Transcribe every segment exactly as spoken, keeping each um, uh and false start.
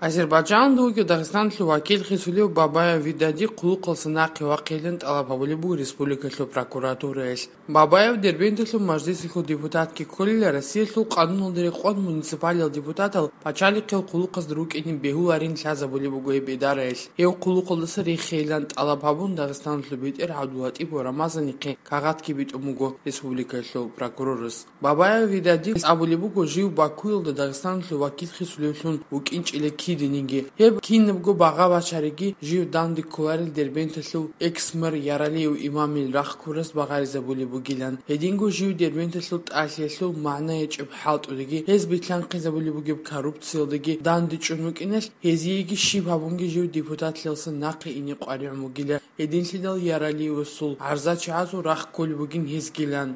Азербайджанда вугев Дагъистаналъул вакил хисулев Бабаев Видади хъулухъалъа нахъе вахъейилан тӀалаб гьабулеб буго республикалъул прокуратураялъ. Бабаев Дербенталъул мажлисалъул депутатги кколила, Россиялъул къануналда рекъон муниципалиял депутатал пачалихъиял хъулухъазда рукӀине бегьуларин лъазабулеб буго гьеб идараялъ. Гьев хъулухъалдаса рехейилан тӀалаб гьабун, Дагъистаналъул бетӀер ГӀабдулатӀип ва Рамазанихъе кагъатги битӀун буго республикалъул прокурорас. Бабаев Видадис абулеб буго, жив Бакуялда Дагъистаналъул вакил хисулевлъун вукӀинчӀила кидениги. Гьеб кинабго багъа бачариги жив данде кколарел Дербенталъул экс-мэр Яралиев Имамил рахъ ккурас багъаризабулеб бугилан. Гьединго жив Дербенталъул тӀалъиялъул магӀна гьечӀеб хӀалтӀудеги, гьез билълъанхъизабулеб бугеб коррупциялдеги данде чӀун вукӀиналъ, гьезиеги щиб гьабунги жив депутатлъиялдаса нахъе ине къваригӀун вугила. Гьединлъидал Яралиевасул гӀарзачагӀазул рахъ кколеб бугин гьезгилан.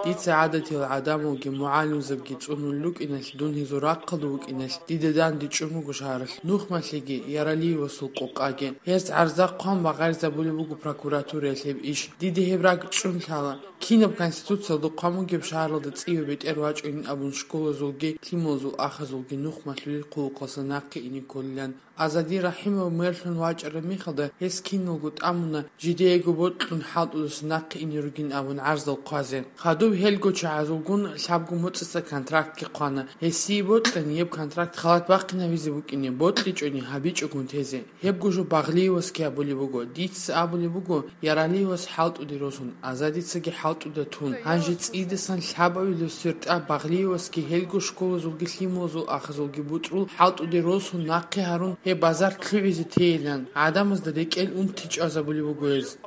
Дица гӀадатиял гӀадамалги мугӀалимзабги цӀунулел рукӀиналъ, дун гьезул рахъалда вукӀиналъ, дида данде чӀун буго шагьаралъ нухмалъиги, Яралиевасул къокъаги. Гьез гӀарза хъван багъаризабулеб буго прокуратураялъ гьеб иш. Дида гьеб ракӀчӀун лъала. Кинаб конституциялда хъван бугеб шагьаралда цӀиве бетӀер вачӀунин абун школазулги, лъималазул ахазулги нухмалъулел хъулухъалъа нахъе ине кколилан. Азади Рахимов мэрлъун вачӀараб мехалда, гьес киналго тӀамуна, жидеего бокьун хӀалтӀудаса нахъе ине ругин абун гӀарзал хъвазе. Хадуб гьелго чагӀазулгун лъабго моцӀица контрактги хъвана. Гьесие бокьани, гьеб контракт халат бахъинабизе букӀине, бокьичӀони гьабичӀогун тезе. Гьебго жо Багълиевасги абулеб буго. Дица абулеб буго, Яралиевас хӀалтӀуде росун, Азадицаги хӀалтӀуда тун. Гьанже цӀидасан лъабавилев свердӀа Багълиевасги гьелго школазулги лъималазул ахазулги бутӀрул хӀалтӀуде росун нахъе гьарун гьеб базар лъугӀизе тейилан, гӀадамазда рекӀел унти чӀвазабулеб буго гьез.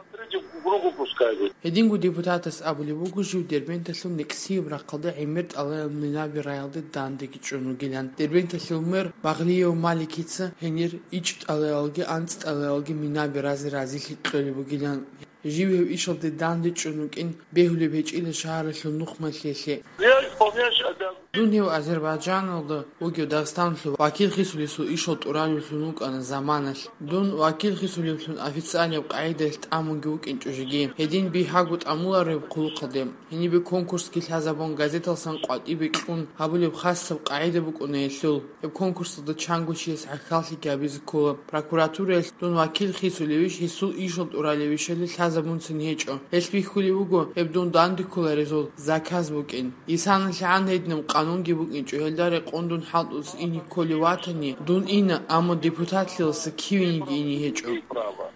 Гьединго депутатас абулеб буго, жив Дербенталъул некӀсияб рахъалда гӀемер тӀалаял Минаби районалде дандеги чӀун вугилан. Дербенталъул мэр Багълиев Маликица гьенир ичӀ тӀалаялги анцӀ тӀалаялги Минаби разе разилъи кьолеб бугилан. Жив гьев ишалде данде чӀун вукӀин бегьулеб гьечӀила шагьаралъул нухмалъиялъе. Я исполняющий обязанности. Дун гьев Азербайджаналда вугев Дагъистаналъул вакил хисулесул ишал тӀуралевлъун вукӀана заманалъ. Дун вакил хисулевлъун официальаб къагӀидаялъ тӀамунги вукӀинчӀо жеги. Гьедин бигьаго тӀамулареб хъулухъалде. Гьенибе конкурсги лъазабун, газеталсан къватӀибе кьун гьабулеб хасаб къагӀида букӀуна гьелъул. Гьеб конкурсалда чанго чияс гӀахьаллъиги гьабизе ккола. Прокуратураялъ дун вакил хисулевищ, гьесул ишал тӀуралевищали лъазабунцин гьечӀо. Гьелъ бихьулеб буго гьеб дун данде кколарезул заказ букӀин. ИсаналъгӀан гьединаб къанунги букӀинчӀо, гьелда рекъон дун хӀалтӀулъ ине кколев ватани, дун ина, амма депутатлъиялдаса кивениги ине гьечӀо.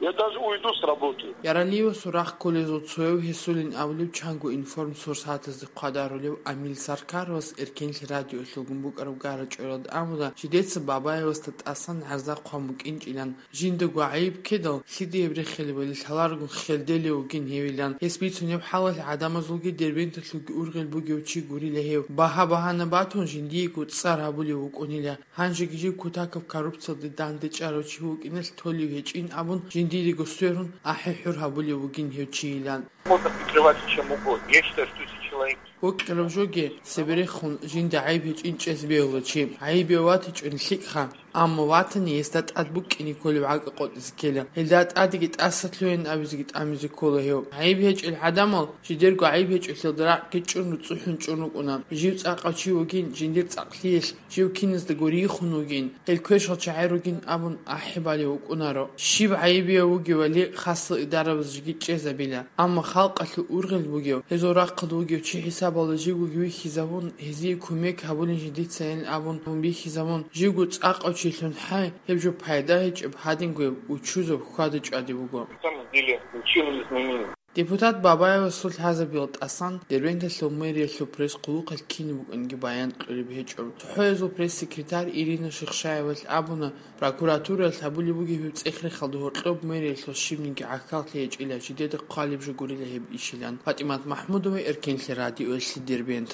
Я даже уйду с работы. Яралиевасул рахъ кколезул цояв гьесулин абулеб чанго информсурсатазда хъвадарулев Амил Саркаровас Эркенлъи радиолъулгун букӀараб гарачӀваралда абула, жидеца Бабаевасда тӀасан гӀарза хъван букӀинчӀилан, жиндаго гӀайиб ккедал, лъидаяб рехилебали лъаларгун хелделев вугин гьевилан. Гьес бицунеб хӀалалъ гӀадамазулги Дербенталъулги ургъел бугев чи гурила гьев. Багьа-багьана батун, жиндиего цӀар гьабулев вукӀунила. Гьанжеги жив кутакаб коррупциялде дандечӀарав чи вукӀиналъ толев гьечӀин абун, жиндиего сверун, ахӀи-хӀур гьабулев вугин гьев чийилан. Можно прикрываться чем угодно. Я считаю, что если человек... Вокьарав жоги, цеберехун жинда гӀайиб гьечӀин чӀезе бегьула чи. ГӀайибе ватичӀони лъикӀха, амма ватани гьесда тӀад букӀине кколеб гӀакӀа къотӀизе ккела. Гьелда тӀадеги тӀаса лъугьин абизеги тӀамизе ккола гьев. ГӀайиб гьечӀел гӀадамал жидерго гӀайиб гьечӀолъиялда ракӀги чӀун, цӀухӀун чӀун рукӀуна. Жив цӀакъав чи вугин, жиндир цӀакълъиялъ жив киназдаго рихун вугин, гьел квешал чагӀи ругин абун ахӀи балев вукӀунаро. Щиб гӀайибияв вугевали, хасал идарабаз жеги чӀезабила. Амма халкъалъул ургъел бугев, гьезул рахъалда вугев чи хӀисабалда живгоги вихьизавун, гьезие кумек гьабулин жидецайин абун бихьизавун, живго цӀакъав чилъун хӀай, гьеб жо пайда гьечӀеб гьадингояб учузаб хьвада-чӀвади буго. На самом деле, ничего не изменилось. Депутат Бабаевасул лъазабиял тӀасан Дербенталъул мэриялъул пресс-хъулухъалъ кинаб букӀинги баян кьуреб гьечӀо. ЦохӀоязул пресс-секретарь Ирина Шихшаевалъ абуна, прокуратураялъ гьабулеб бугеб гьеб цӀех-рехалда гьоркьоб мэриялъул щибниги гӀахьаллъи гьечӀила, жидеда хъвалеб жо гурила гьеб ишилан. ПатӀимат МахӀмудова, Эркенлъи радиоялъе, Дербент.